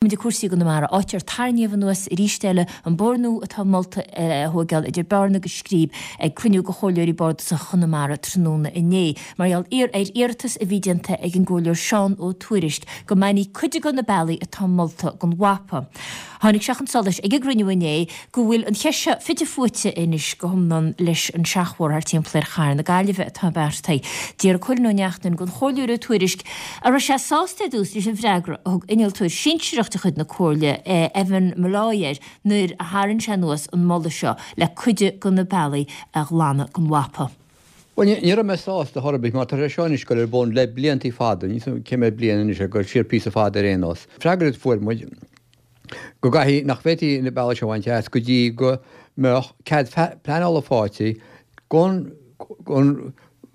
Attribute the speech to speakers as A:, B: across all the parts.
A: Muid ag cúrsaí i gConamara, áit ar tarraingíodh anuas arís eile an bóthar nua atá molta a thóigeáil idir Bearna agus Scríb ag cruinniú de Chomhairleoirí Bardasacha Chonamara tráthnóna inné, mar gheall ar iarratas a bhí déanta ag an gComhairleoir Seán Ó Tuairisg go mbainfí cuid de na bealaí atá molta den mhapa. Tháinig sé chun solais ag an gcruinniú inné go bhfuil an cheist seo fite fuaite anois go hiomlán leis an seachbhóthar thar timpeall ar chathair na Gaillimhe atá beartaithe. D'iarr Cóilín Ó Neachtain den Chomhairleoir Ó Tuairisg an raibh sé sásta ar dtús leis an bhfreagra a thug innealtóir sinsearach de chuid na Comhairle, Evan Molloy air nuair a tharraing sé anuas an moladh seo le cuid de na bealaí a ghlanadh den mhapa.
B: Bhuel, ní raibh mé sásta chor ar bith mar tá sé seo anois ag dul ar bun le bliantaí fada, níl 's agam cé mhéad bliain anois, ag dul siar píosa fada ar aon nós. Freagra a fuair muid go gcaithfidh, nach bhféadfaí na bealaí seo a bhaint as go dtí go mbeadh cead pleanála faighte gon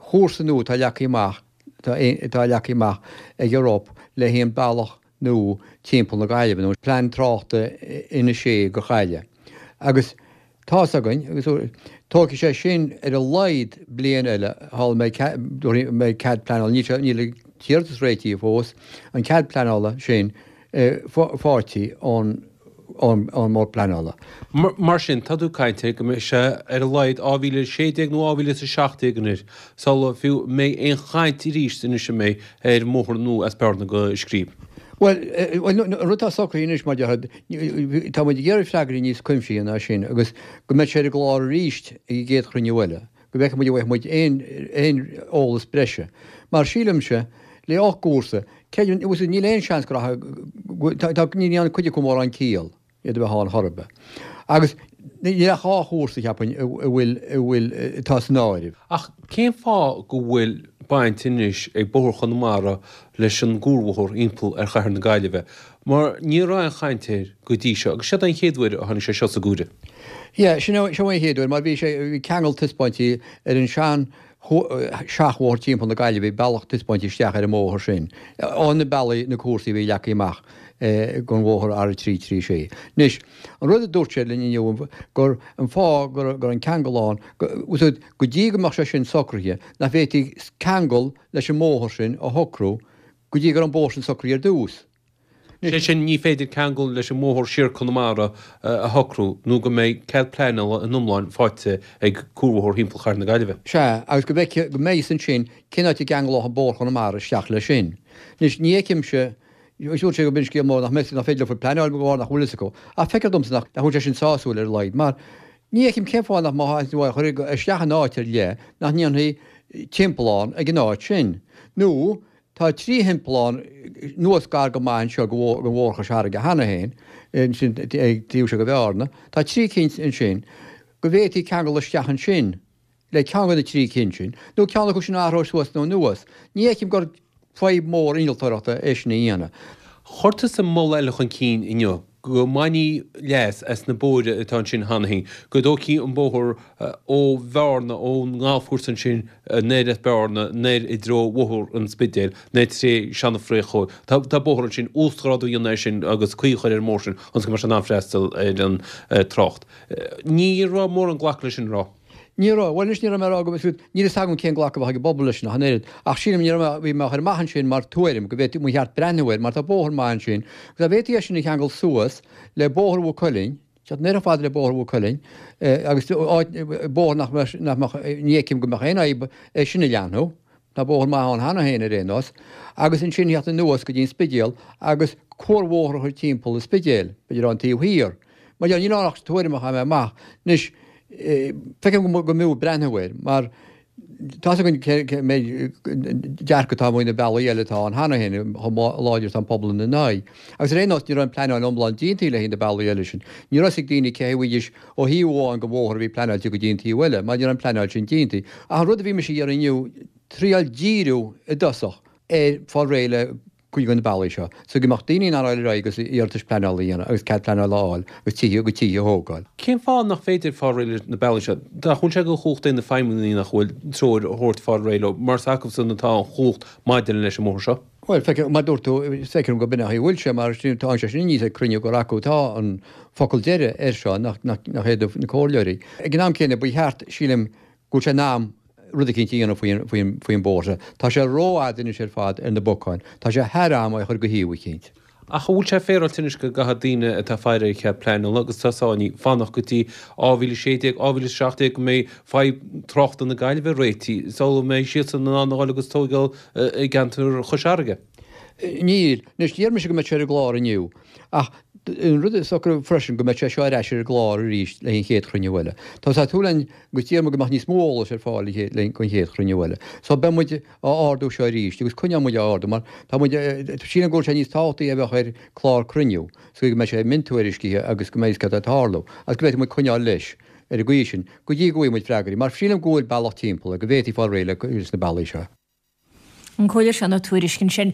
B: chúrsa nua atá leagtha amach atá leagtha amach ag an RUP le haghaidh an bealach nua timpeall na Gaillimhe, nó Plean Tráchta Inis Oírr go Gaillimh. Agus tá's againn, agus tógfaidh sé sin ar a laghad bliain eile shula mbeidh cead pleanála, níl an t-iarratas réitithe fós, an cead pleanála sin faighte ón ón mBord Pleanála.
C: Mar sin, tá tú ag caint ar go mbeidh sé ar a laghad 2016 nó 2017 anois sula fiú mbeidh aon chaint arís anois an mbeidh ar bhóthar nua as Bearna go Scríb.
B: Bhuel, an rud atá socraithe anois, mar déarfá, tá muid ag iarraidh freagraí níos cuimsithí ná sin agus go mbeidh sé ar an gclár arís ag an gcéad chruinniú eile, go bhfeicfidh muid an bhfaighidh muid aon aon eolas breise. Mar sílimse, le 8 gcúrsa, creidim, níl aon seans go rachaidh, tá, ní dhéanann cuid acu mórán ciall iad a bheith ann chor ar bith. Agus níl ach 2 chúrsa, cheapfainn, a bhfuil, a bhfuil, atá san áireamh.
C: Ach cén fáth go bhfuil baint anois ag Bóthar Chonamara leis an gcuarbhóthar thimpeall ar chathair na Gaillimhe? Mar ní raibh aon chaint air go dtí seo, agus seod é an chéad uair a tháinig sé seo sa gcomhaireamh.
B: Yeah, sin é, seo é an chéad uair, mar bhí sé, bhí ceangal taispeáintí ar an sean seachbhóthar timpeall na Gaillimhe, bhí bealach taispeáintí isteach ar an mbóthar sin, ó na bealaí, na cúrsaí a bhí leagtha amach don bhóthar R336. Anois, an rud a dúirt sé linn inniu, gur an fáth go raibh an ceangal ann, go, go dtí go mbeadh sé sin socraithe, nach bhféadfaí ceangal leis an mbóthar sin a shocrú go dtí go raibh an bóthar sin socraithe ar dtús.
C: Sé sin, ní féidir ceangal leis an mbóthar siar Conamara a shocrú nó go mbeidh cead pleanála in iomlán faighte ag cuarbhóthar thimpeall chathair na Gaillimhe.
B: Sea, agus go bhfeicfidh, go mbeidh fhios ansin cén áit a gceanglódh an bóthar Chonamara isteach leis sin. Anois, ní fheicimse, dúirt sé go b'in scéal mór nach mbeidh, nach féidir leo pleanáil de bharr nach bhfuil fhios acu, ach feictear domsa nach bhfuil sé sin sásúil ar a laghad, mar ní fheicim cén fáth nach mbeadh á chur isteach in áit ar leith nach ndéanfaí timpeallán ag an áit sin. Nó Tá 3 thimpeallán anuas gar go maith anseo go Bhóthar Chois Fharraige cheana féin, ansin ag taobh seo de Bhearna. Tá 3 cinn ansin go bhféadfaí ceangal isteach ansin le ceann de na 3 cinn sin, nó ceann acu sin a athrú suas nó anuas. Ní fheicim gur fadhb mhór innealtóireachta é sin a dhéanamh.
C: Chuir tusa moladh eile chun cinn inniu. go mbainfí leas as na bóithre atá ansin cheana féin, go dtógfaí an bóthar ó Bhearna, ón ngalfchúrsa ansin anoir as Bearna, anoir i dtreo Bhóthar an Spidéil, anoir tré Seana-Phréachóig. Tá tá bóthar ansin, uasghrádú a dhéanamh air sin agus caoi a chur ar an mbóthar sin ionas go mbeadh sé in ann freastal ar an trácht. Ní raibh mórán glacadh leis sin, an raibh?
B: Ní raibh. Bhuel, anois ní raibh mé ag rá go bhfuil, níl fhios agam cén glacadh a bheadh ag an bpobal leis sin ach an oiread. Ach sílim, ní raibh mé, bhí mé á chur amach ansin mar tuairim go bhféadfaí, ba cheart breathnú air mar tá bóthar maith ansin agus dá bhféadfaí é sin a cheangal suas le Bóthar Mhaigh Cuilinn, teacht anoir chomh fada le Bóthar Mhaigh Cuilinn agus áit, bóthar nach mbeadh, nach mbeadh, ní fheicim go mbeadh aon fhadhb é sin a leathnú, tá bóthar maith ann cheana féin ar aon nós, agus ansin theacht anuas go dtí an Spidéal agus cuarbhóthar a chur timpeall an Spidéil, b'fhéidir ón taobh thiar. Mar níl ann ach tuairim a chaith mé amach. Anois, feicim go mb'fhiú breathnú air, mar tá's againn cé méid dearcadh atá amuigh na bealaí eile atá ann cheana féin, chomh láidir atá an pobal ina n-aghaidh. Agus ar aon nós, ní raibh an pleanáil iomlán déanta le haghaidh na bealaí eile sin. Ní raibh fhios ag daoine cé bhfaighidís ó thaobh amháin den bhóthar a bhí pleanáilte go dtí an taobh eile, mar ní raibh an pleanáil sin déanta. Ach an rud a bhí mise a iarraidh inniu, triail díriú i dtosach ar fáil réidh le cuid de na bealaí seo, so go mbeadh daoine in ann dul ar aghaidh agus iarratais pleanála a dhéanamh agus cead pleanála a fháil agus tithe, a gcuid tithe a thógáil.
C: Cén fáth nach féidir fáil réidh leis na bealaí seo? Nach bhfuil sé de chumhacht ag na feidhmeannaigh nach bhfuil treoir a thabhairt fáil réidh leo, mar is acusan atá an chumhacht maidir leis an mbóthar seo?
B: Bhuel, feicim, mar dúirt tú, feicim go b'in é an chaoi a bhfuil sé, mar tá sé sin aníos ag cruinniú gur acu atá an focal deiridh air seo, nach, nach, nach iad na comhairleoirí. Ag an am céanna, ba cheart, sílim, go bhfuil sé in am rud eicínt a dhéanamh faoin bhóthar seo. Tá sé rófhada anois ar fad ar na bacáin. Tá sé thar am é a chur go shuíomh eicínt.
C: Ach an bhfuil sé féaráilte anois go gcaithfidh daoine atá ag faire ar chead pleanála agus atá sáinnithe fanacht go dtí 2016, 2017 go mbeidh fadhb tráchta na Gaillimhe réitithe sula mbeidh siadsan in ann a dhul agus tóigeáil i gceantar Chois Fharraige?
B: Níl. Anois, d'iarr mise go mbeadh sé ar an gclár inniu. Ach an rud is socrú freisin go mbeidh sé seo ar ais ar an gclár arís le haghaidh an chéad chruinniú eile. Tá sé súil againn agus d'iarr muid go mbeadh níos mó eolais ar fáil le haghaidh an chéad chruinniú eile. So beidh muid á ardú seo arís agus coinneoidh muid á ardú mar tá muid, sílim go bhfuil sé níos tábhachtaí a bheadh ar chlár cruinniú so go mbeidh sé miontuairiscithe agus go mbeidh fhios céard atá ag tarlú agus go bhféadfaidh muid coinneáil leis ar an gcaoi sin go dtí go bhfaighidh muid freagraí mar sílim go bhfuil bealach timpeall go bhféadfaí fáil réidh leis na bealaí seo.
A: An Comhairleoir Seán Ó Tuairisg ansin.